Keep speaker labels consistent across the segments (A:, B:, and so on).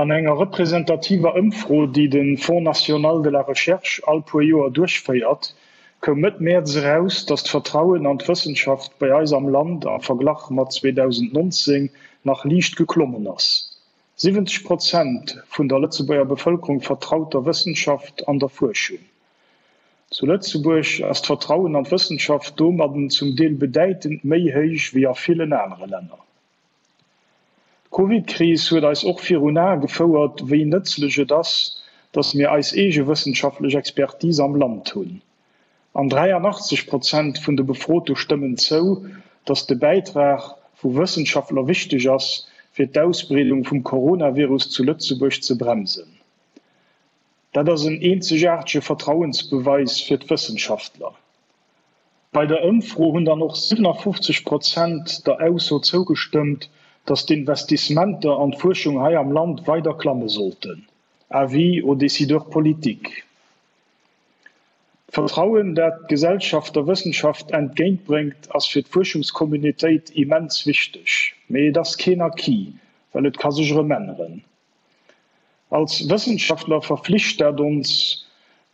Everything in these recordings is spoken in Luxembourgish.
A: An enger representativer Ëmfro, déi de Fonds national de la recherche all puer Joer duerchféiert, koum Mëtt Mäerz eraus, datt d'Vertrauen an d'Wëssenschaft bei eis am Land am Verglach mat 2019 nach liicht geklommen ass. 70 Prozent vun der Lëtzebuerger Bevëlkerung vertraut der Wëssenschaft an der Fuerschung. Zu Lëtzebuerg ass d'Vertrauen an d'Wëssenschaft domadden zum Deel bedäitend méi héich wéi a villen anere Länner. D'Covidkris huet eis och virun Ae gefouert, wéi nëtzlech et ass, datt mir eis eege wëssenschaftlech Expertise am Land hunn. An 83 Prozent vun de Befrote stëmmen zou, datt de Bäitrag vu Wëssenschaftler wichteg ass, fir d'Ausbreedung vum Coronavirus zu Lëtzebuerg ze bremsen. Dat ass en eenzegaartege Vertrauensbeweis fir d'Wëssenschaftler. Bei der Ëmfro hunn dann och 57 Prozent der Ausso zougestëmmt, datt d'Investissementer an d'Fuerschung hei am Land weider klamme sollten. Avis aux décideurs politiques. D'Vertrauen, dat d'Gesellschaft der Wëssenschaft entgéintbréngt, ass fir d'Fuerschungscommunautéit immens wichteg. Mee et ass keen Acquis, well et ka sech erëm änneren. Als Wëssenschaftler verflicht dat ons,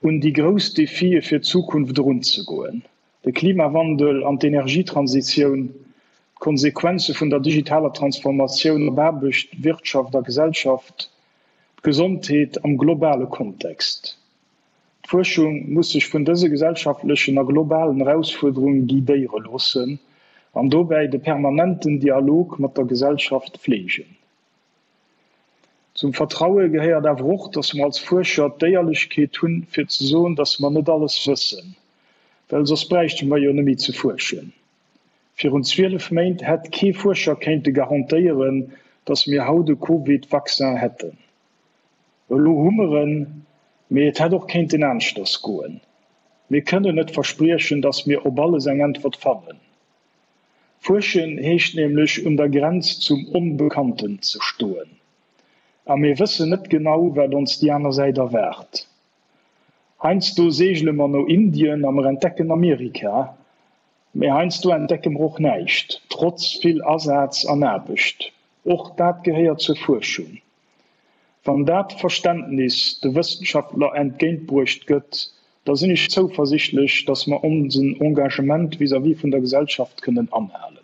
A: un déi grouss Defie fir d'Zukunft erunzegoen, de Klimawandel an d'Energietransitioun, d'Konsequenze vun der digitaler Transformatioun op Aarbecht, Wirtschaft a Gesellschaft, d'Gesondheet am globale Kontext. D'Fuerschung muss sech vun dëse gesellschaftlechen a globalen Erausfuerderunge guidéiere loossen an dobäi de permanenten Dialog mat der Gesellschaft fleegen. Zum Vertraue gehéiert awer och, dass mer als Fuerscher d'Éierlechkeet hunn, fir ze soen, dass mer net alles wëssen, well soss bräichte mer jo net méi ze fuerschen. Virun 12 Méint hätt kee Fuerscher kéinte garantéieren, dass mir haut e Covid-Vaccin hätten. Elo hu mer en, mee et hätt och kéinten aneschters goen. Mir kënnen net verspriechen, dass mir op alles eng Äntwert fannen. Fuerschen heescht nämlech un der Grenz zum Onbekannten ze stoen. A mir wëssen net genau, wat ons déi aner Säit erwaart. Heiansdo seegele mer no Indien a mer entdecken Amerika, mee heiansdo entdecke mer och näischt, trotz vill Asaz an Aarbecht. Och dat gehéiert zur Fuerschung. Wann dat Verständnis de Wëssenschaftler entgéintbruecht gëtt, da sinn ech zouversichtlech, datt mer onsen Engagement vis-à-vis vun der Gesellschaft kënnen anhalen.